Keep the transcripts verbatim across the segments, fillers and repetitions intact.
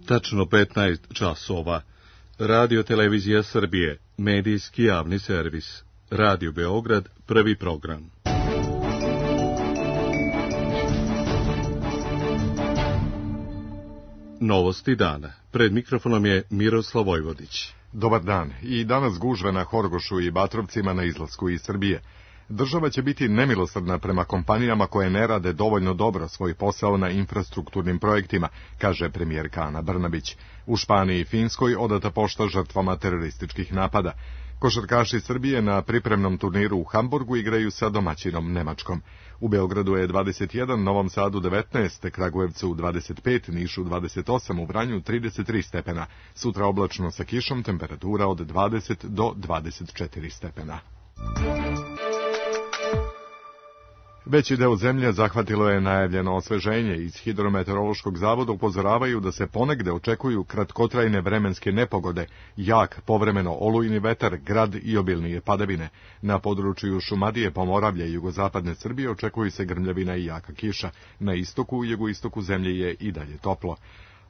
Tačno petnaest časova. Radio Televizija Srbije, medijski javni servis. Radio Beograd, prvi program. Novosti dana. Pred mikrofonom je Miroslav Vojvodić. Dobar dan. I danas gužve na Horgošu i Batrovcima na izlasku iz Srbije. Država će biti nemilosrdna prema kompanijama koje ne rade dovoljno dobro svoj posao na infrastrukturnim projektima, kaže premijerka Ana Brnabić. U Španiji i Finskoj odata pošta žrtvama terorističkih napada. Košarkaši Srbije na pripremnom turniru u Hamburgu igraju sa domaćinom Nemačkom. U Beogradu je dvadeset jedan, Novom Sadu devetnaest, Kragujevcu dvadeset pet, Nišu dvadeset osam, u Vranju trideset tri stepena. Sutra oblačno sa kišom, temperatura od dvadeset do dvadeset četiri stepena. Veći deo zemlje zahvatilo je najavljeno osveženje. Iz Hidrometeorološkog zavoda upozoravaju da se ponegde očekuju kratkotrajne vremenske nepogode, jak, povremeno olujni vetar, grad i obilnije padavine. Na području Šumadije, Pomoravlja i jugozapadne Srbije očekuju se grmljavina i jaka kiša. Na istoku i jugoistoku zemlje je i dalje toplo.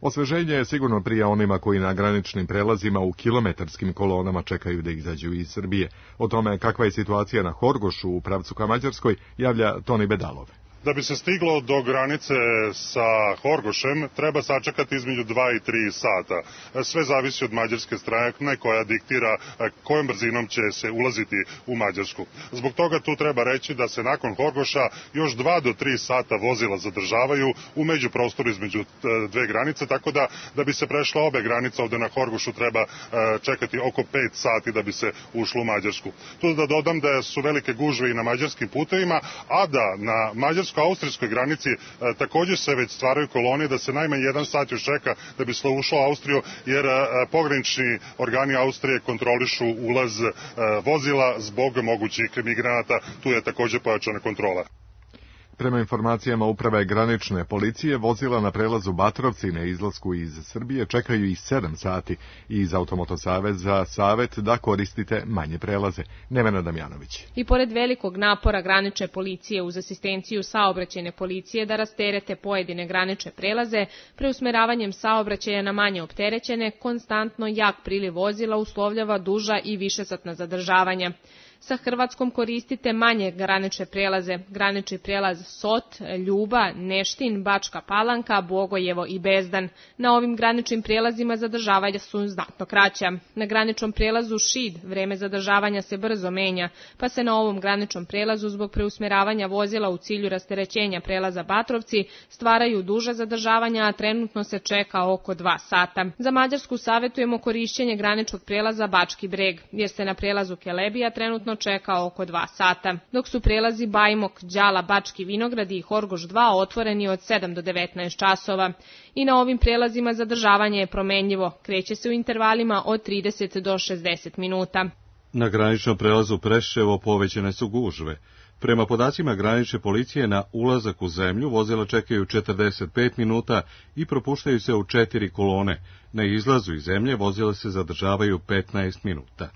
Osveženje je sigurno prije onima koji na graničnim prelazima u kilometarskim kolonama čekaju da izađu iz Srbije. O tome kakva je situacija na Horgošu u pravcu ka Mađarskoj javlja Toni Bedalov. Da bi se stiglo do granice sa Horgošem, treba sačekati između dva i tri sata. Sve zavisi od mađarske strane koja diktira kojom brzinom će se ulaziti u Mađarsku. Zbog toga tu treba reći da se nakon Horgoša još dva do tri sata vozila zadržavaju u međuprostoru između dve granice, tako da da bi se prešla obe granice ovde na Horgošu treba čekati oko pet sati da bi se ušlo u Mađarsku. Tu da dodam da su velike gužve i na mađarskim putevima, a da na mađarskom austrijskoj granici e, također se već stvaraju kolonije, da se najmanje jedan sat još čeka da bi se ušlo u Austriju, jer e, pogranični organi Austrije kontrolišu ulaz e, vozila zbog mogućih migranata, tu je također pojačana kontrola. Prema informacijama Uprave granične policije, vozila na prelazu Batrovci na izlasku iz Srbije čekaju i sedam sati i iz Automotosaveza savet da koristite manje prelaze. Nevena Damjanović. I pored velikog napora granične policije uz asistenciju saobraćajne policije da rasterete pojedine granične prelaze, preusmeravanjem saobraćaja na manje opterećene, konstantno jak priliv vozila uslovljava duža i višesatna zadržavanja. Sa Hrvatskom koristite manje granične prelaze, granični prelaz Sot, Ljuba, Neštin, Bačka Palanka, Bogojevo i Bezdan. Na ovim graničnim prelazima zadržavanja su znatno kraća. Na graničnom prelazu Šid vreme zadržavanja se brzo menja, pa se na ovom graničnom prelazu zbog preusmeravanja vozila u cilju rasterećenja prelaza Batrovci stvaraju duža zadržavanja, a trenutno se čeka oko dva sata. Za Mađarsku savjetujemo korišćenje graničnog prelaza Bački Breg, jer se na prelazu Kelebija trenutno čeka oko dva sata, dok su prelazi Bajmok, Đala, Bački Vinograd i Horgoš dva otvoreni od sedam do devetnaest časova. I na ovim prelazima zadržavanje je promenljivo, kreće se u intervalima od trideset do šezdeset minuta. Na graničnom prelazu Preševo povećane su gužve. Prema podacima granične policije, na ulazak u zemlju vozila čekaju četrdeset pet minuta i propuštaju se u četiri kolone. Na izlazu iz zemlje vozila se zadržavaju petnaest minuta.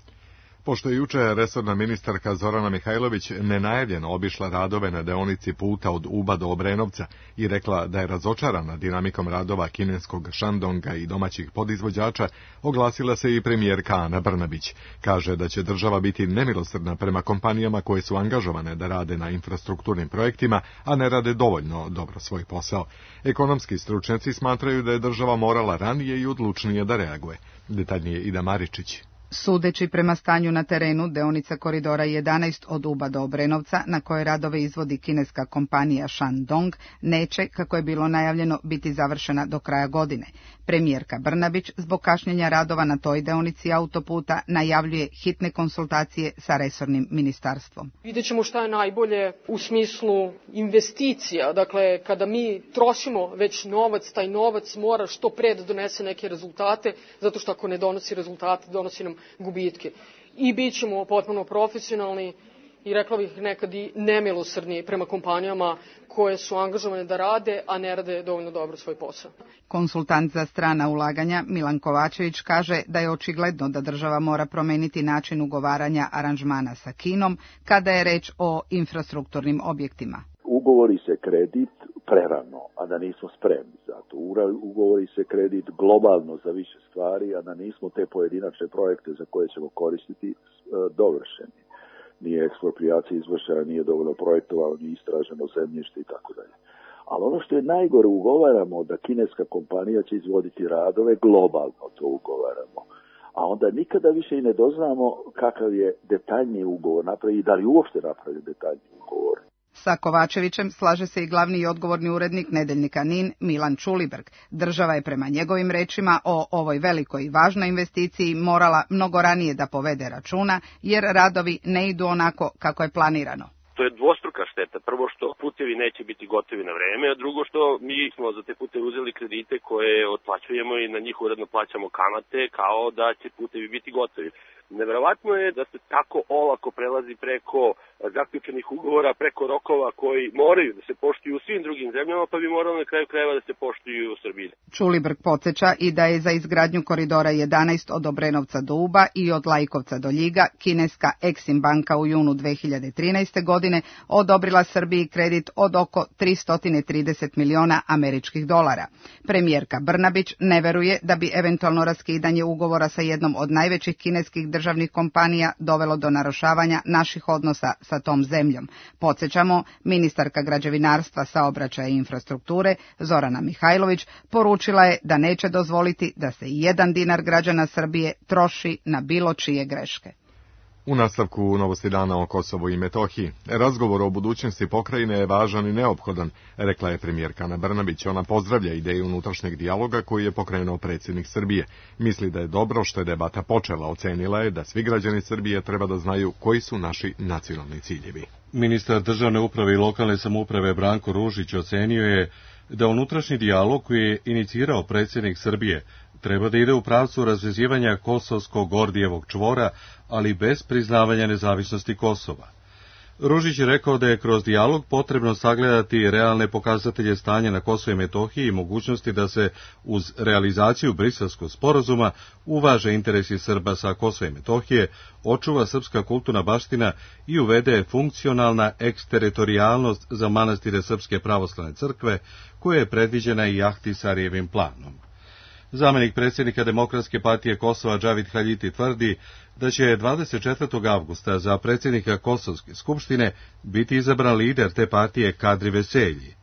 Pošto je juče resorna ministarka Zorana Mihajlović nenajavljeno obišla radove na deonici puta od Uba do Obrenovca i rekla da je razočarana dinamikom radova kineskog Shandonga i domaćih podizvođača, oglasila se i premijerka Ana Brnabić. Kaže da će država biti nemilosrdna prema kompanijama koje su angažovane da rade na infrastrukturnim projektima, a ne rade dovoljno dobro svoj posao. Ekonomski stručnjaci smatraju da je država morala ranije i odlučnije da reaguje. Detaljnije Ida Maričić. Sudeći prema stanju na terenu, deonica koridora jedanaest od Uba do Obrenovca, na koje radove izvodi kineska kompanija Shandong, neće, kako je bilo najavljeno, biti završena do kraja godine. Premijerka Brnabić zbog kašnjenja radova na toj deonici autoputa najavljuje hitne konsultacije sa resornim ministarstvom. Vidjet ćemo šta je najbolje u smislu investicija. Dakle, kada mi trošimo već novac, taj novac mora što pre da donese neke rezultate, zato što ako ne donosi rezultate, donosi nam gubitke. I bit ćemo potpuno profesionalni i rekla bih nekad i nemilosrdni prema kompanijama koje su angažovane da rade, a ne rade dovoljno dobro svoj posao. Konsultant za strana ulaganja Milan Kovačević kaže da je očigledno da država mora promeniti način ugovaranja aranžmana sa Kinom kada je reč o infrastrukturnim objektima. Ugovori se kredit prerano, a da nismo spremni za to. Ugovori se kredit globalno za više stvari, a da nismo te pojedinačne projekte za koje ćemo koristiti dovršeni. Nije ekspropriacija izvršena, nije dovoljno projektovano, nije istraženo zemljište i tako dalje. Ali ono što je najgore, ugovaramo da kineska kompanija će izvoditi radove, globalno to ugovaramo. A onda nikada više i ne doznamo kakav je detaljniji ugovor napravi i da li uopšte napravi detaljniji ugovor. Sa Kovačevićem slaže se i glavni i odgovorni urednik nedeljnika Nin Milan Čuliberg. Država je prema njegovim rečima o ovoj velikoj i važnoj investiciji morala mnogo ranije da povede računa, jer radovi ne idu onako kako je planirano. To je dvostruka šteta. Prvo što putevi neće biti gotovi na vreme, a drugo što mi smo za te puteve uzeli kredite koje otplaćujemo i na njih uredno plaćamo kamate kao da će putevi biti gotovi. Neverovatno je da se tako olako prelazi preko zaključenih ugovora, preko rokova koji moraju da se poštuju u svim drugim zemljama, pa bi moralo na kraju krajeva da se poštuju i u Srbiji. Čuliberg podsjeća i da je za izgradnju koridora jedanaest od Obrenovca do Uba i od Lajkovca do Ljiga kineska Exim banka u junu dve hiljade trinaeste. godine odobrila Srbiji kredit od oko tristo trideset miliona američkih dolara. Premijerka Brnabić ne veruje da bi eventualno raskidanje ugovora sa jednom od najvećih kineskih državnih kompanija dovelo do narušavanja naših odnosa sa tom zemljom. Podsjećamo, ministarka građevinarstva, saobraćaja i infrastrukture Zorana Mihajlović poručila je da neće dozvoliti da se jedan dinar građana Srbije troši na bilo čije greške. U nastavku novosti dana o Kosovu i Metohiji. Razgovor o budućnosti pokrajine je važan i neophodan, rekla je premijerka Ana Brnabić. Ona pozdravlja ideju unutrašnjeg dijaloga koji je pokrenuo predsjednik Srbije. Misli da je dobro što je debata počela. Ocenila je da svi građani Srbije treba da znaju koji su naši nacionalni ciljevi. Ministar državne uprave i lokalne samouprave Branko Ružić ocenio je da unutrašnji dijalog koji je inicirao predsjednik Srbije treba da ide u pravcu razvezivanja kosovskog Gordijevog čvora, ali bez priznavanja nezavisnosti Kosova. Ružić je rekao da je kroz dijalog potrebno sagledati realne pokazatelje stanja na Kosovu i Metohiji i mogućnosti da se uz realizaciju Briselskog sporazuma uvaže interesi Srba sa Kosova i Metohije, očuva srpska kulturna baština i uvede funkcionalna eksteritorijalnost za manastire Srpske pravoslavne crkve, koja je predviđena i Ahtisarijevim planom. Zamenik predsjednika Demokratske partije Kosova Džavid Haljiti tvrdi da će dvadeset četvrtog avgusta za predsjednika Kosovske skupštine biti izabran lider te partije Kadri Veselji.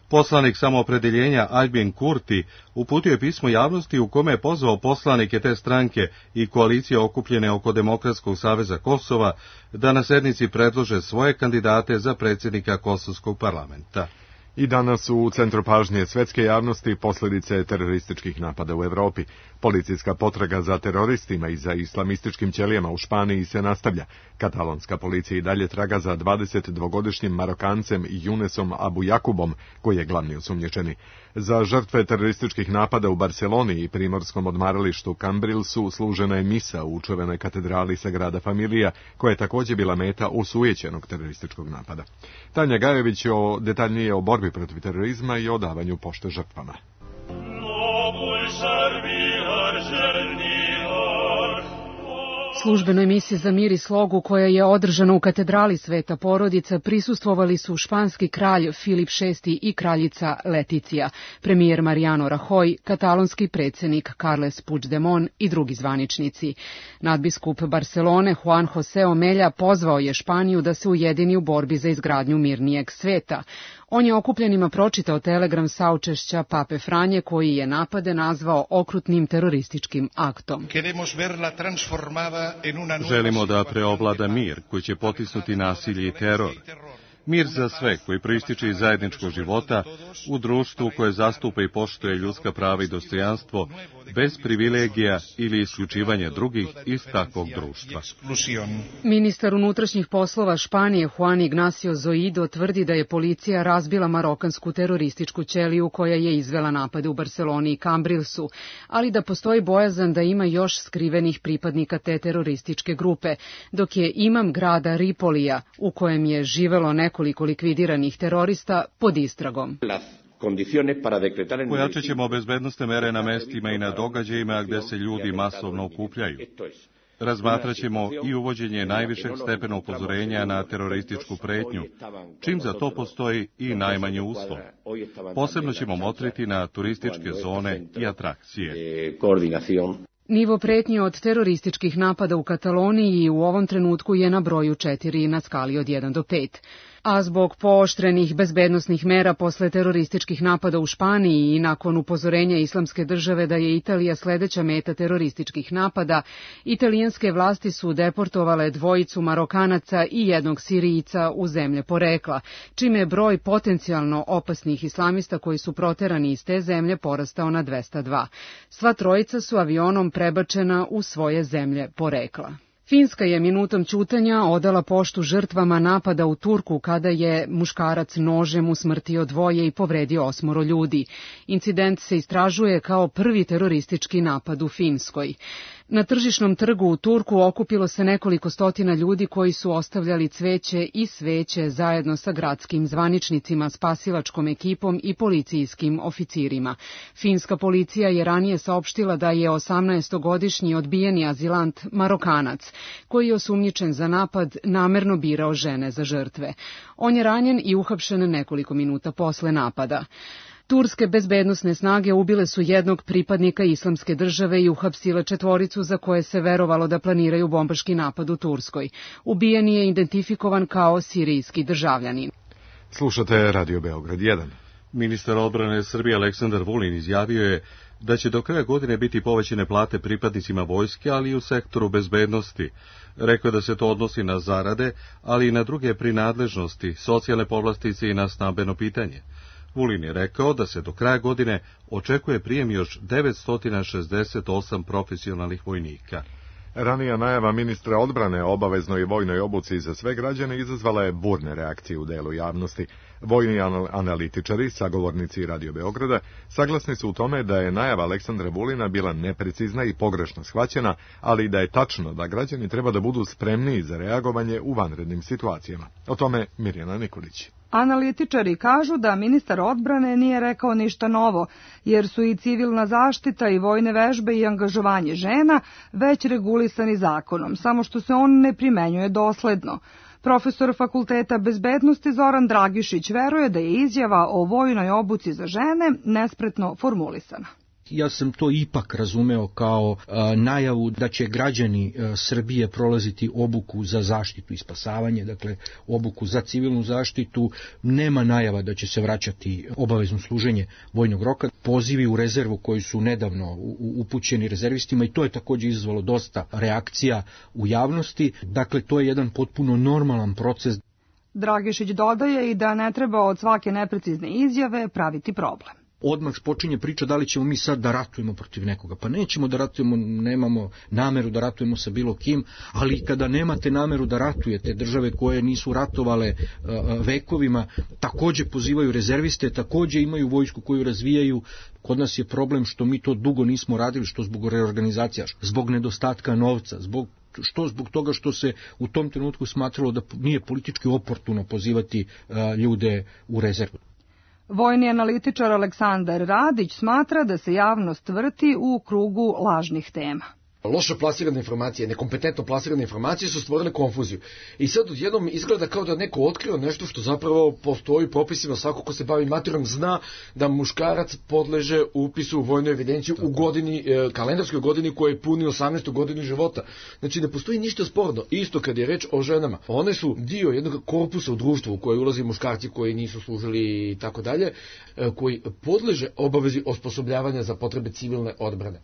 Poslanik samoopredeljenja Albin Kurti uputio je pismo javnosti u kome je pozvao poslanike te stranke i koalicije okupljene oko Demokratskog saveza Kosova da na sednici predlože svoje kandidate za predsjednika Kosovskog parlamenta. I danas u centru pažnje svetske javnosti posljedice terorističkih napada u Evropi. Policijska potraga za teroristima i za islamističkim ćelijama u Španiji se nastavlja. Katalonska policija i dalje traga za dvadesetdvogodišnjim Marokancem Junesom Abu Jakubom, koji je glavni osumnjičeni. Za žrtve terorističkih napada u Barceloni i primorskom odmaralištu Cambrilsu služena je misa u čuvenoj katedrali Sagrada Familija, koja je također bila meta osujećenog terorističkog napada. Tanja Gajević o detaljnije o borbi protiv terorizma i o davanju pošte žrtvama. Službenoj misiji za mir i slogu koja je održana u katedrali Sveta Porodica prisustvovali su španski kralj Filip šesti i kraljica Leticija, premijer Mariano Rajoy, katalonski predsjednik Carles Puigdemont i drugi zvaničnici. Nadbiskup Barcelone Juan José Omelja pozvao je Španiju da se ujedini u borbi za izgradnju mirnijeg sveta. On je okupljenima pročitao telegram saučešća Pape Franje, koji je napade nazvao okrutnim terorističkim aktom. Želimo da preovlada mir koji će potisnuti nasilje i teror. Mir za sve koji proističe iz zajedničkog života u društvu koje zastupa i poštuje ljudska prava i dostojanstvo bez privilegija ili isključivanja drugih iz takvog društva. Ministar unutrašnjih poslova Španije Juan Ignacio Zoido tvrdi da je policija razbila marokansku terorističku ćeliju koja je izvela napade u Barceloni i Cambrilsu, ali da postoji bojazan da ima još skrivenih pripadnika te terorističke grupe, dok je imam grada Ripolija, u kojem je živelo nekoliko likvidiranih terorista, pod istragom. Pojačat ćemo bezbednosne mere na mestima i na događajima gdje se ljudi masovno okupljaju. Razmatraćemo i uvođenje najvišeg stepena upozorenja na terorističku pretnju, čim za to postoji i najmanje uslov. Posebno ćemo motriti na turističke zone i atrakcije. Nivo pretnje od terorističkih napada u Kataloniji u ovom trenutku je na broju četiri na skali od jedan do pet. A zbog pooštrenih bezbednosnih mera posle terorističkih napada u Španiji i nakon upozorenja Islamske države da je Italija sledeća meta terorističkih napada, italijanske vlasti su deportovale dvojicu Marokanaca i jednog Sirijica u zemlje porekla, čime je broj potencijalno opasnih islamista koji su proterani iz te zemlje porastao na dvesta dva. Sva trojica su avionom prebačena u svoje zemlje porekla. Finska je minutom ćutanja odala poštu žrtvama napada u Turku kada je muškarac nožem usmrtio dvoje i povredio osmoro ljudi. Incident se istražuje kao prvi teroristički napad u Finskoj. Na tržišnom trgu u Turku okupilo se nekoliko stotina ljudi koji su ostavljali cveće i sveće zajedno sa gradskim zvaničnicima, spasilačkom ekipom i policijskim oficirima. Finska policija je ranije saopštila da je osamnaestogodišnji odbijeni azilant Marokanac, koji je osumnjičen za napad, namerno birao žene za žrtve. On je ranjen i uhapšen nekoliko minuta posle napada. Turske bezbednosne snage ubile su jednog pripadnika Islamske države i uhapsile četvoricu za koje se verovalo da planiraju bombaški napad u Turskoj. Ubijeni je identifikovan kao sirijski državljanin. Slušate Radio Beograd jedan. Ministar odbrane Srbije Aleksandar Vulin izjavio je da će do kraja godine biti povećane plate pripadnicima vojske, ali i u sektoru bezbednosti. Rekao je da se to odnosi na zarade, ali i na druge prinadležnosti, socijalne povlastice i na stambeno pitanje. Vulin je rekao da se do kraja godine očekuje prijem još devetsto šezdeset osam profesionalnih vojnika. Ranija najava ministra odbrane o obaveznoj vojnoj obuci za sve građane izazvala je burne reakcije u delu javnosti. Vojni analitičari, sagovornici Radio Beograda, saglasni su u tome da je najava Aleksandra Vulina bila neprecizna i pogrešno shvaćena, ali i da je tačno da građani treba da budu spremniji za reagovanje u vanrednim situacijama. O tome Mirjana Nikolić. Analitičari kažu da ministar odbrane nije rekao ništa novo, jer su i civilna zaštita i vojne vežbe i angažovanje žena već regulisani zakonom, samo što se on ne primenjuje dosledno. Profesor Fakulteta bezbednosti Zoran Dragišić veruje da je izjava o vojnoj obuci za žene nespretno formulisana. Ja sam to ipak razumeo kao a, najavu da će građani a, Srbije prolaziti obuku za zaštitu i spasavanje, dakle obuku za civilnu zaštitu. Nema najava da će se vraćati obavezno služenje vojnog roka. Pozivi u rezervu koji su nedavno upućeni rezervistima i to je također izazvalo dosta reakcija u javnosti. Dakle, to je jedan potpuno normalan proces. Dragišić dodaje i da ne treba od svake neprecizne izjave praviti problem. Odmah počinje priča da li ćemo mi sad da ratujemo protiv nekoga. Pa nećemo da ratujemo, nemamo nameru da ratujemo sa bilo kim, ali kada nemate nameru da ratujete, države koje nisu ratovale uh, vekovima, takođe pozivaju rezerviste, takođe imaju vojsku koju razvijaju. Kod nas je problem što mi to dugo nismo radili, što zbog reorganizacija, zbog nedostatka novca, zbog što zbog toga što se u tom trenutku smatralo da nije politički oportuno pozivati uh, ljude u rezervu. Vojni analitičar Aleksandar Radić smatra da se javnost vrti u krugu lažnih tema. Loše plasirane informacije, nekompetentno plasirane informacije su stvorile konfuziju. I sad odjednom izgleda kao da neko otkrio nešto što zapravo postoji propisima. Svako ko se bavi materijom zna da muškarac podleže upisu u vojnu evidenciju u godini, kalendarskoj godini koja je puni osamnaestu godinu života. Znači ne postoji ništa sporno. Isto kad je reč o ženama. One su dio jednog korpusa u društvu u koje ulazi muškarci koji nisu služili i tako dalje, koji podleže obavezi osposobljavanja za potrebe civilne odbrane.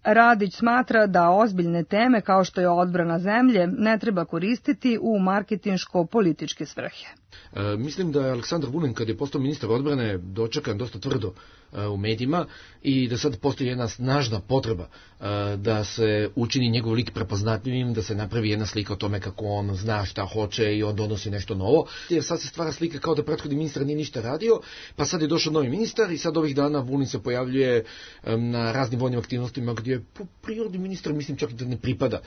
Radić smatra da ozbiljne teme kao što je odbrana zemlje ne treba koristiti u marketinško-političke svrhe. E, mislim da je Aleksandar Vulin kad je postao ministar odbrane dočekan dosta tvrdo e, u medijima i da sad postoji jedna snažna potreba e, da se učini njegov lik prepoznatljivim, da se napravi jedna slika o tome kako on zna šta hoće i on donosi nešto novo. Jer sad se stvara slika kao da prethodni ministar nije ništa radio, pa sad je došao novi ministar i sad ovih dana Vulin se pojavljuje e, na raznim vojnim aktivnostima gdje po prirodi ministar mislim čak da ne pripada.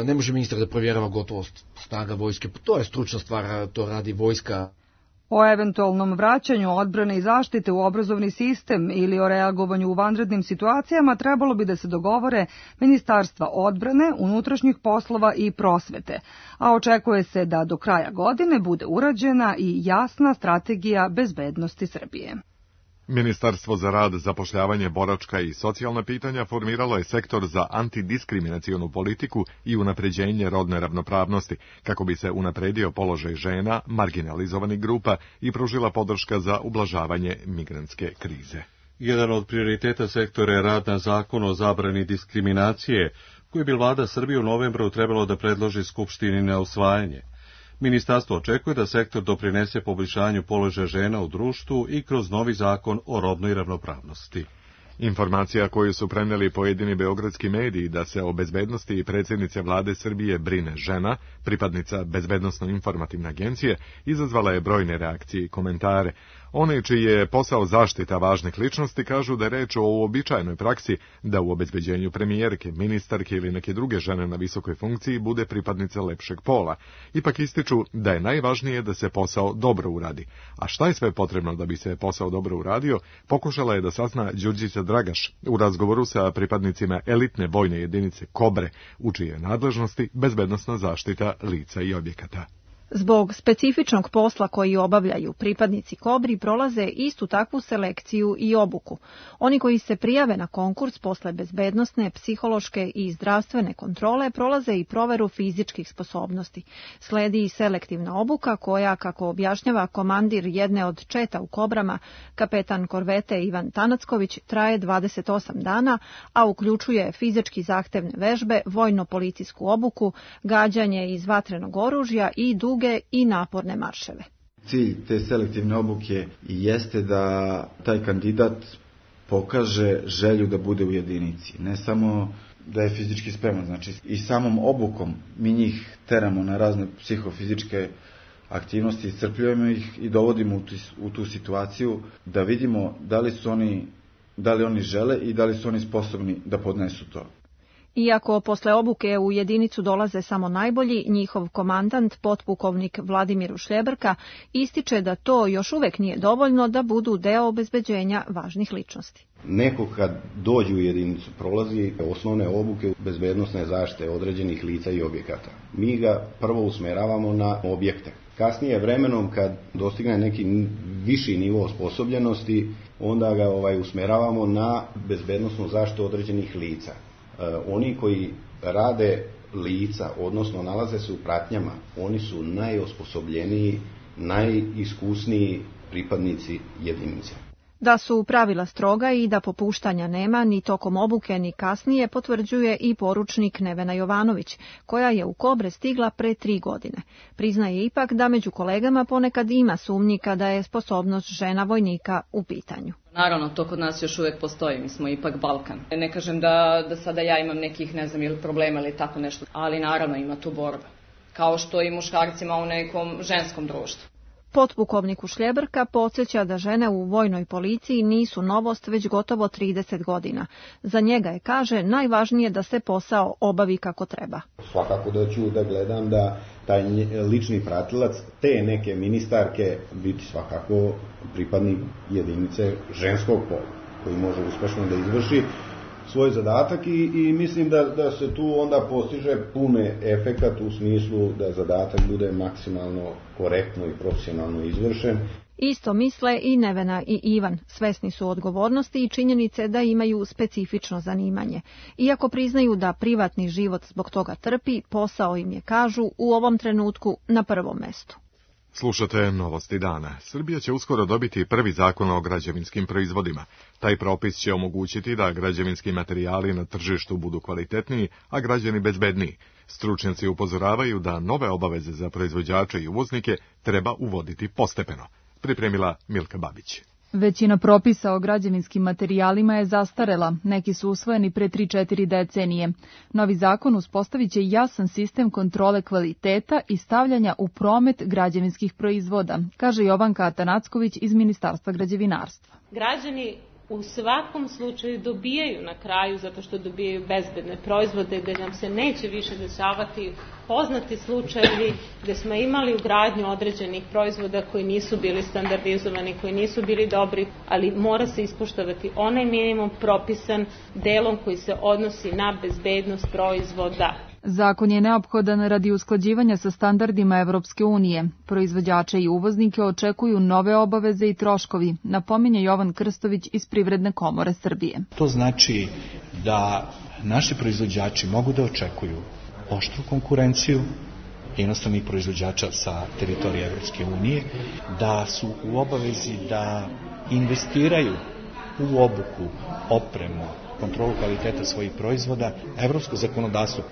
Ne može ministar da provjerava gotovost snaga vojske, to je stručna stvar, to radi vojska. O eventualnom vraćanju odbrane i zaštite u obrazovni sistem ili o reagovanju u vanrednim situacijama trebalo bi da se dogovore Ministarstva odbrane, unutrašnjih poslova i prosvete, a očekuje se da do kraja godine bude urađena i jasna strategija bezbednosti Srbije. Ministarstvo za rad, zapošljavanje, boračka i socijalna pitanja formiralo je sektor za antidiskriminacionu politiku i unapređenje rodne ravnopravnosti, kako bi se unapredio položaj žena, marginalizovanih grupa i pružila podrška za ublažavanje migrantske krize. Jedan od prioriteta sektora je rad na zakon o zabrani diskriminacije, koji bi vlada Srbije u novembru trebalo da predloži Skupštini na usvajanje. Ministarstvo očekuje da sektor doprinese poboljšanju položaja žena u društvu i kroz novi zakon o rodnoj ravnopravnosti. Informacija koju su preneli pojedini beogradski mediji da se o bezbednosti predsjednice vlade Srbije brine žena, pripadnica Bezbednosno-informativne agencije, izazvala je brojne reakcije i komentare. One čiji je posao zaštita važnih ličnosti kažu da je reč o uobičajenoj praksi da u obezbeđenju premijerke, ministarke ili neke druge žene na visokoj funkciji bude pripadnica lepšeg pola. Ipak ističu da je najvažnije da se posao dobro uradi. A šta je sve potrebno da bi se posao dobro uradio, pokušala je da sazna Đurđica Dragaš u razgovoru sa pripadnicima elitne vojne jedinice Kobre, u čije nadležnosti bezbednosna zaštita lica i objekata. Zbog specifičnog posla koji obavljaju, pripadnici Kobri prolaze istu takvu selekciju i obuku. Oni koji se prijave na konkurs posle bezbednosne, psihološke i zdravstvene kontrole prolaze i proveru fizičkih sposobnosti. Sledi i selektivna obuka koja, kako objašnjava komandir jedne od četa u Kobrama, kapetan korvete Ivan Tanacković, traje dvadeset osam dana, a uključuje fizički zahtevne vežbe, vojno-policijsku obuku, gađanje iz vatrenog oružja i duge i naporne marševe. Cilj te selektivne obuke jeste da taj kandidat pokaže želju da bude u jedinici. Ne samo da je fizički spreman, znači i samom obukom mi njih teramo na razne psihofizičke aktivnosti, iscrpljujemo ih i dovodimo u tu, u tu situaciju da vidimo da li su oni, da li oni žele i da li su oni sposobni da podnesu to. Iako posle obuke u jedinicu dolaze samo najbolji, njihov komandant, potpukovnik Vladimir Ušljebrka, ističe da to još uvek nije dovoljno da budu deo obezbeđenja važnih ličnosti. Neko kad dođe u jedinicu prolazi osnovne obuke bezbednosne zaštite određenih lica i objekata. Mi ga prvo usmeravamo na objekte. Kasnije vremenom kad dostigne neki viši nivo osposobljenosti, onda ga ovaj usmeravamo na bezbednosnu zaštitu određenih lica. Oni koji rade lica, odnosno nalaze se u pratnjama, oni su najosposobljeniji, najiskusniji pripadnici jedinice. Da su pravila stroga i da popuštanja nema ni tokom obuke ni kasnije potvrđuje i poručnik Nevena Jovanović, koja je u Kobre stigla pre tri godine. Priznaje ipak da među kolegama ponekad ima sumnji kada je sposobnost žena vojnika u pitanju. Naravno, to kod nas još uvek postoji, mi smo ipak Balkan. Ne kažem da, da sada ja imam nekih, ne znam, ili problema ili tako nešto, ali naravno ima tu borba. Kao što i muškarcima u nekom ženskom društvu. Potpukovnik Ušljebrka podsjeća da žene u vojnoj policiji nisu novost već gotovo trideset godina. Za njega je, kaže, najvažnije da se posao obavi kako treba. Svakako da ću da gledam da taj lični pratilac te neke ministarke biti svakako pripadnik jedinice ženskog pola, koji može uspešno da izvrši svoj zadatak i, i mislim da, da se tu onda postiže pune efekat u smislu da zadatak bude maksimalno korektno i profesionalno izvršen. Isto misle i Nevena i Ivan. Svesni su odgovornosti i činjenice da imaju specifično zanimanje. Iako priznaju da privatni život zbog toga trpi, posao im je, kažu, u ovom trenutku na prvom mestu. Slušate Novosti dana. Srbija će uskoro dobiti prvi zakon o građevinskim proizvodima. Taj propis će omogućiti da građevinski materijali na tržištu budu kvalitetniji, a građani bezbedniji. Stručnjaci upozoravaju da nove obaveze za proizvođače i uvoznike treba uvoditi postepeno. Pripremila Milka Babić. Većina propisa o građevinskim materijalima je zastarela, neki su usvojeni pre tri četiri decenije. Novi zakon uspostavit će jasan sistem kontrole kvaliteta i stavljanja u promet građevinskih proizvoda, kaže Jovanka Atanacković iz Ministarstva građevinarstva. Građani u svakom slučaju dobijaju na kraju, zato što dobijaju bezbedne proizvode, gde nam se neće više dešavati poznati slučajevi gde smo imali ugradnju određenih proizvoda koji nisu bili standardizovani, koji nisu bili dobri, ali mora se ispoštovati onaj minimum propisan delom koji se odnosi na bezbednost proizvoda. Zakon je neophodan radi usklađivanja sa standardima Evropske unije. Proizvođače i uvoznike očekuju nove obaveze i troškovi, napominje Jovan Krstović iz Privredne komore Srbije. To znači da naši proizvođači mogu da očekuju oštru konkurenciju inostranih proizvođača sa teritorije Evropske unije, da su u obavezi da investiraju u obuku, opremu, kontrolu kvaliteta svojih proizvoda. Evropsko zakonodavstvo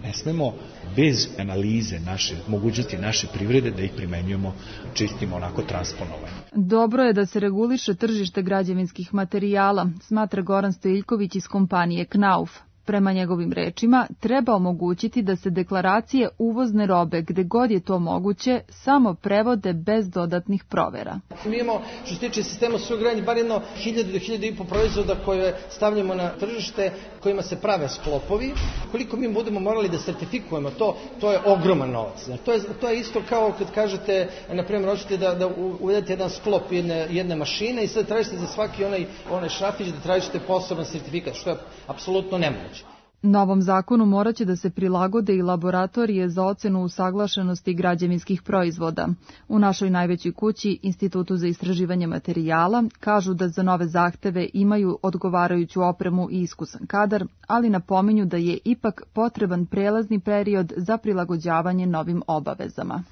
ne smemo bez analize naše mogućnosti naše privrede da ih primenjujemo čistim onako transponovanje. Dobro je da se reguliše tržište građevinskih materijala, smatra Goran Stojiljković iz kompanije Knauf. Prema njegovim rečima, treba omogućiti da se deklaracije uvozne robe, gde god je to moguće, samo prevode bez dodatnih provera. Mi imamo, što se tiče sistema sugranje, bar jedno hiljadu do hiljadu i po proizvoda koje stavljamo na tržište, kojima se prave sklopovi. Koliko mi budemo morali da sertifikujemo to, to je ogroman novac. Znači, to, je, to je isto kao kad kažete, na primjer, hoćete da, da uvedete jedan sklop jedne, jedne mašine i sad tražite za svaki onaj, onaj šrafić da tražite poseban sertifikat, što je apsolutno nemoguće. Novom zakonu morat će da se prilagode i laboratorije za ocenu usaglašenosti građevinskih proizvoda. U našoj najvećoj kući, Institutu za istraživanje materijala, kažu da za nove zahteve imaju odgovarajuću opremu i iskusan kadar, ali napominju da je ipak potreban prelazni period za prilagođavanje novim obavezama.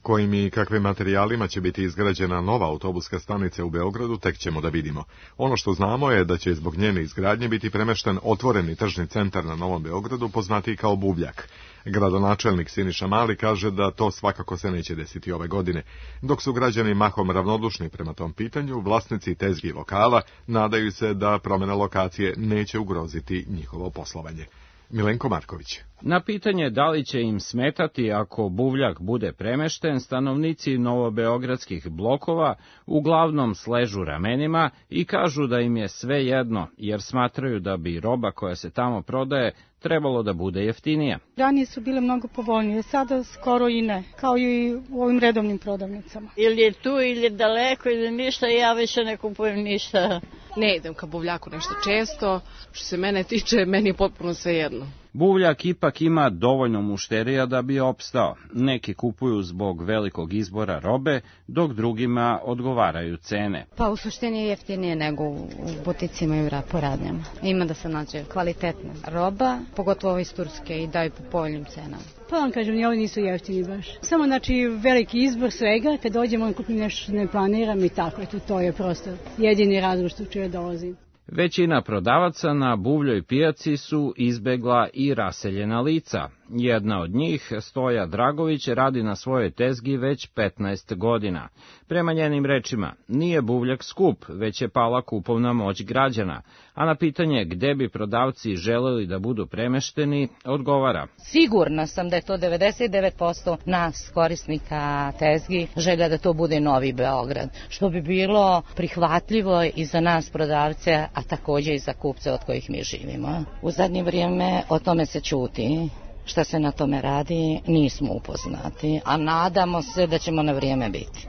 Kojim i kakvim materijalima će biti izgrađena nova autobuska stanica u Beogradu, tek ćemo da vidimo. Ono što znamo je da će zbog njene izgradnje biti premešten otvoreni tržni centar na Novom Beogradu, poznatiji kao Buvljak. Gradonačelnik Siniša Mali kaže da to svakako se neće desiti ove godine. Dok su građani mahom ravnodušni prema tom pitanju, vlasnici tezgi lokala nadaju se da promjena lokacije neće ugroziti njihovo poslovanje. Milenko Marković. Na pitanje da li će im smetati ako Buvljak bude premešten, stanovnici novobeogradskih blokova uglavnom sležu ramenima i kažu da im je sve jedno, jer smatraju da bi roba koja se tamo prodaje trebalo da bude jeftinija. Ranije su bile mnogo povoljnije, sada skoro i ne, kao i u ovim redovnim prodavnicama. Ili je tu, ili je daleko, ili ništa, ja više ne kupujem ništa. Ne idem ka Buvljaku nešto često, što se mene tiče, meni je potpuno sve jedno. Buvljak ipak ima dovoljno mušterija da bi opstao. Neki kupuju zbog velikog izbora robe, dok drugima odgovaraju cene. Pa u suštini je jeftinije nego u buticima i u poradnjama. Ima da se nađe kvalitetna roba, pogotovo iz Turske i daju po povoljnim cenama. Pa vam kažem, ni ovi nisu jeftini baš. Samo znači veliki izbor svega, kad dođemo i kupim nešto što ne planiram i tako, eto, to je prosto jedini razlog što ću ja dolazim. Većina prodavaca na Buvljoj pijaci su izbegla i raseljena lica. Jedna od njih, Stoja Dragović, radi na svojoj tezgi već petnaest godina. Prema njenim rečima, nije Buvljak skup, već je pala kupovna moć građana, a na pitanje gde bi prodavci želeli da budu premešteni, odgovara. Sigurna sam da je to devedeset devet posto nas korisnika tezgi želja da to bude Novi Beograd, što bi bilo prihvatljivo i za nas prodavce, a također i za kupce od kojih mi živimo. U zadnje vrijeme o tome se ćuti. Šta se na tome radi, nismo upoznati, a nadamo se da ćemo na vrijeme biti.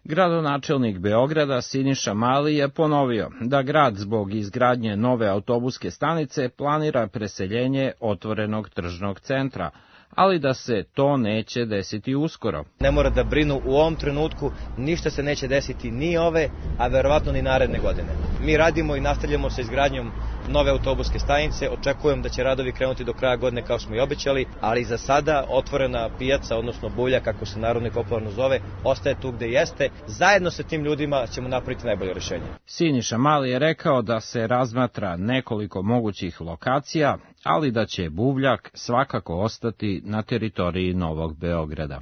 Gradonačelnik Beograda Siniša Mali je ponovio da grad zbog izgradnje nove autobuske stanice planira preseljenje otvorenog tržnog centra, ali da se to neće desiti uskoro. Ne mora da brinu u ovom trenutku, ništa se neće desiti ni ove, a verovatno ni naredne godine. Mi radimo i nastavljamo sa izgradnjom nove autobuske stanice, očekujem da će radovi krenuti do kraja godine kao smo i obećali, ali za sada otvorena pijaca, odnosno Buvljak, kako se narodno i popularno zove, ostaje tu gde jeste. Zajedno sa tim ljudima ćemo napraviti najbolje rješenje. Siniša Mali je rekao da se razmatra nekoliko mogućih lokacija, ali da će Buvljak svakako ostati na teritoriji Novog Beograda.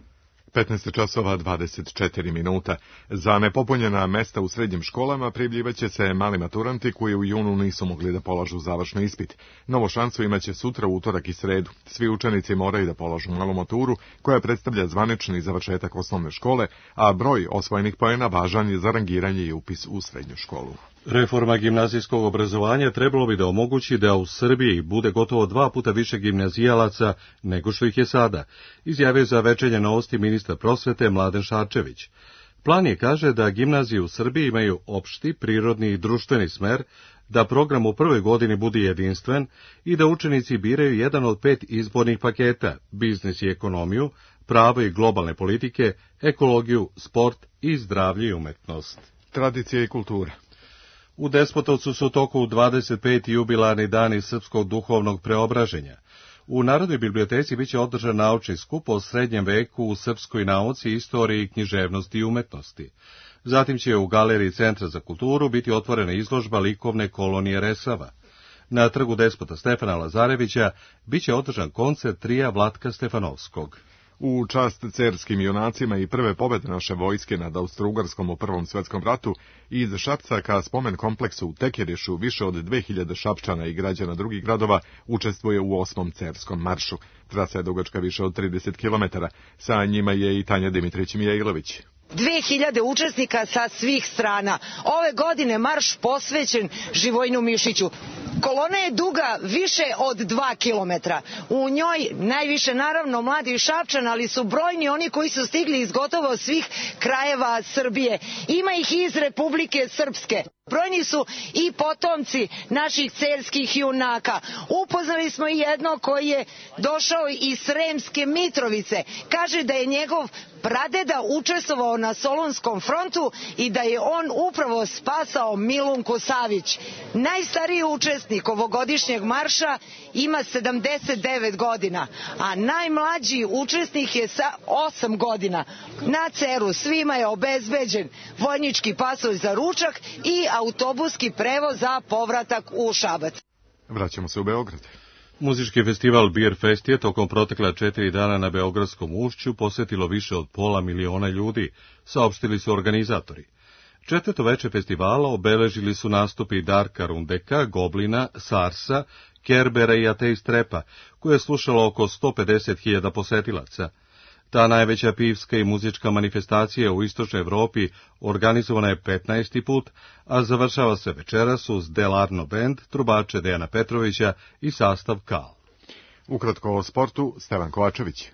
petnaest časova dvadeset četiri minuta. Za nepopunjena mesta u srednjim školama prijavljivaće se mali maturanti koji u junu nisu mogli da polažu završni ispit. Novu šansu imaće sutra, utorak i sredu. Svi učenici moraju da polažu malu maturu, koja predstavlja zvanični završetak osnovne škole, a broj osvojenih poena važan je za rangiranje i upis u srednju školu. Reforma gimnazijskog obrazovanja trebalo bi da omogući da u Srbiji bude gotovo dva puta više gimnazijalaca nego što ih je sada, izjavio za Večernje novosti ministar prosvete Mladen Šarčević. Plan je, kaže, da gimnazije u Srbiji imaju opšti, prirodni i društveni smer, da program u prvoj godini bude jedinstven i da učenici biraju jedan od pet izbornih paketa, biznis i ekonomiju, pravo i globalne politike, ekologiju, sport i zdravlje i umetnost. Tradicija i kultura. U Despotovcu su u toku dvadeset peti jubilarni dani srpskog duhovnog preobraženja. U Narodnoj biblioteci biće održan naučni skup o srednjem veku u srpskoj nauci, istoriji, književnosti i umetnosti. Zatim će u galeriji Centra za kulturu biti otvorena izložba likovne kolonije Resava. Na trgu despota Stefana Lazarevića biće održan koncert trija Vlatka Stefanovskog. U čast cerskim junacima i prve pobede naše vojske nad Austro-Ugarskom u Prvom svetskom ratu, iz Šapca ka spomen kompleksu u Tekerišu više od dve hiljade Šapčana i građana drugih gradova učestvuje u osmom cerskom maršu. Trasa je dugačka više od trideset kilometara. Sa njima je i Tanja Dimitrić-Mijailović. dve hiljade učesnika sa svih strana. Ove godine marš posvećen Živojinu Mišiću. Kolona je duga više od dva kilometra. U njoj najviše naravno mladi Šapčana, ali su brojni oni koji su stigli iz gotovo svih krajeva Srbije. Ima ih iz Republike Srpske. Brojni su i potomci naših cerskih junaka. Upoznali smo i jednog koji je došao iz Sremske Mitrovice. Kaže da je njegov pradeda učestvovao na Solunskom frontu i da je on upravo spasao Milunku Savić. Najstariji učesnik ovogodišnjeg marša ima sedamdeset devet godina, a najmlađi učesnik je sa osam godina. Na Ceru svima je obezbeđen vojnički pasoš za ručak i autobuski prevoz za povratak u Šabac. Vraćamo se u Beograd. Muzički festival Beer Fest je tokom protekla četiri dana na Beogradskom ušću posjetilo više od pola miliona ljudi, saopštili su organizatori. Četvrto veče festivala obeležili su nastupi Darka Rundeka, Goblina, Sarsa, Kerbera i Ateist Repa, koje je slušalo oko sto pedeset hiljada posetilaca. Ta najveća pivska i muzička manifestacija u istočnoj Evropi organizovana je petnaesti put, a završava se večeras uz Delarno Band, trubače Dejana Petrovića i sastav Kal. Ukratko o sportu, Stevan Kovačević.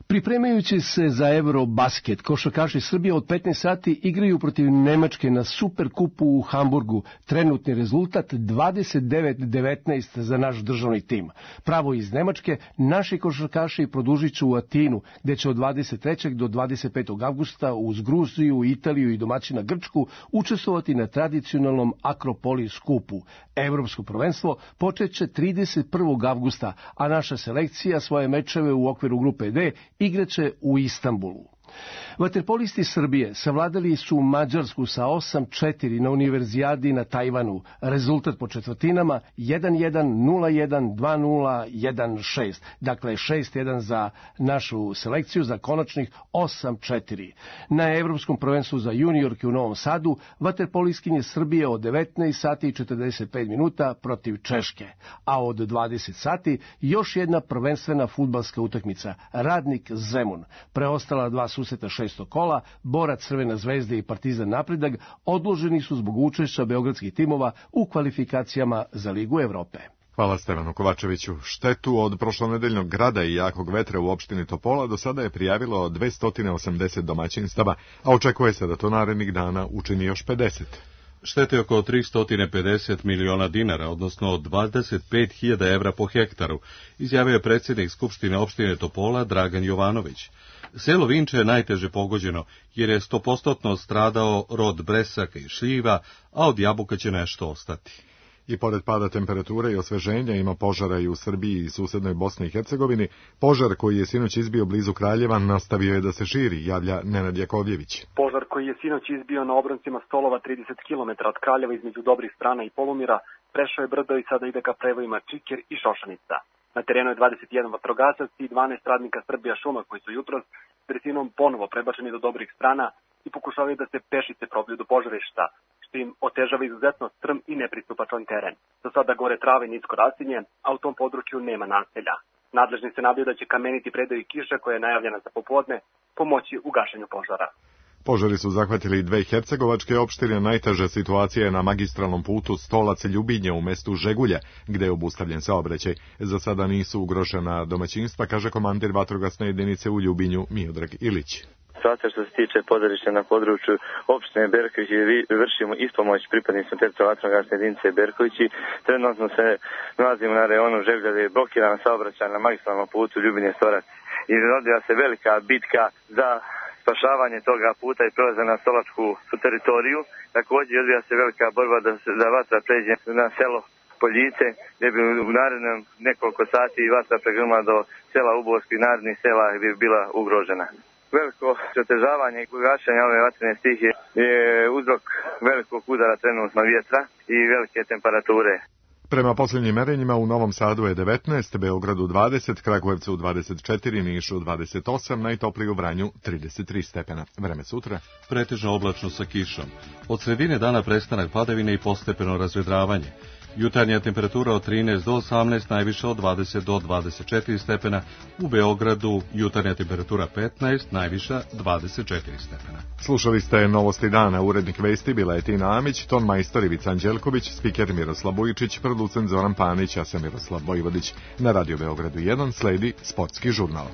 Pripremajući se za Eurobasket, košarkaši Srbije od petnaest sati igraju protiv Nemačke na Superkupu u Hamburgu. Trenutni rezultat dvadeset devet devetnaest za naš državni tim. Pravo iz Nemačke, naši košarkaši produžit će u Atinu, gde će od dvadeset trećeg do dvadeset petog avgusta uz Gruziju, Italiju i domaćina Grčku učestvovati na tradicionalnom Akropolis skupu. Evropsko prvenstvo počeće trideset prvog avgusta, a naša selekcija svoje mečeve u okviru grupe D igraće u Istanbulu. Vaterpolisti Srbije savladali su Mađarsku sa osam četiri na univerzijadi na Tajvanu. Rezultat po četvrtinama jedan jedan, nula jedan, dva nula, jedan šest. Dakle, šest jedan za našu selekciju za konačnih osam četiri. Na Evropskom prvenstvu za juniorke u Novom Sadu vaterpoliskinje Srbije od devetnaest sati i četrdeset pet minuta protiv Češke. A od dvadeset sati još jedna prvenstvena fudbalska utakmica. Radnik Zemun. Preostala dva susreta šestog kola, Borac Crvena zvezda i Partizan Napredak odloženi su zbog učešća beogradskih timova u kvalifikacijama za Ligu Evrope. Hvala Stevanu Kovačeviću. Štetu od prošlonedeljnog grada i jakog vetra u opštini Topola do sada je prijavilo dvesta osamdeset domaćinstava, a očekuje se da to narednih dana učini još pedeset. Štete oko tristo pedeset miliona dinara, odnosno dvadeset pet hiljada evra po hektaru, izjavio je predsjednik Skupštine opštine Topola Dragan Jovanović. Selo Vinče je najteže pogođeno, jer je stopostotno stradao rod bresaka i šljiva, a od jabuka će nešto ostati. I pored pada temperature i osveženja ima požara i u Srbiji i susednoj Bosni i Hercegovini. Požar koji je sinoć izbio blizu Kraljeva nastavio je da se širi, javlja Nenad Jakovljević. Požar koji je sinoć izbio na obroncima Stolova trideset kilometara od Kraljeva između Dobrih Strana i Polumira prešao je brdo i sada ide ka prevojima Čiker i Šošanica. Na terenu je dvadeset jedan vatrogasac i dvanaest radnika Srbija šuma koji su jutros dresinom ponovo prebačeni do dobrih strana i pokušavaju da se pešice probiju do požarišta, što im otežava izuzetno strm i nepristupačan teren. Do sada gore trave i nisko rastinje, a u tom području nema naselja. Nadležni se nadaju da će kameniti predaj kiša koja je najavljena za popodne pomoći u gašenju požara. Požari su zahvatili dve hercegovačke opštine, najteža situacija je na magistralnom putu Stolac-Ljubinje u mestu Žegulje, gde je obustavljen saobraćaj. Za sada nisu ugrožena domaćinstva, kaže komandir vatrogasne jedinice u Ljubinju Miodrag Ilić. Situacija što se tiče požarišta na području opštine Berković, vršimo ispomoć pripadnicima teritorijalne vatrogasne jedinice Berkovići. Trenutno se nalazimo na rejonu Žegulja gde je blokiran saobraćaj na magistralnom putu Ljubinje-Storac. I rodila se velika bitka za spašavanje toga puta i prelaza na stolačku teritoriju. Također odvija se velika borba da, se, da vatra pređe na selo Poljice, gdje bi u narednom nekoliko sati vatra pregrnula do sela Uborski i narednih sela gdje bi bila ugrožena. Veliko otežavanje i gašenje ove vatrene stihije je uzrok velikog udara trenutno vjetra i velike temperature. Prema posljednjim merenjima u Novom Sadu je devetnaest, Beogradu dvadeset, Kragujevcu dvadeset četiri, Nišu dvadeset osam, najtoplije u Vranju trideset tri stepena. Vreme sutra. Pretežno oblačno sa kišom. Od sredine dana prestanak padavine i postepeno razvedravanje. Jutarnja temperatura od trinaest do osamnaest, najviša od dvadeset do dvadeset četiri stepena. U Beogradu jutarnja temperatura petnaest, najviša dvadeset četiri stepena. Slušali ste Novosti dana, urednik vesti bila je Tina Amić, ton majstor Ivica Anđelković, spiker Miroslav Bujičić, producent Zoran Panić, ja sam Miroslav Vojvodić. Na Radio Beogradu jedan sledi sportski žurnal.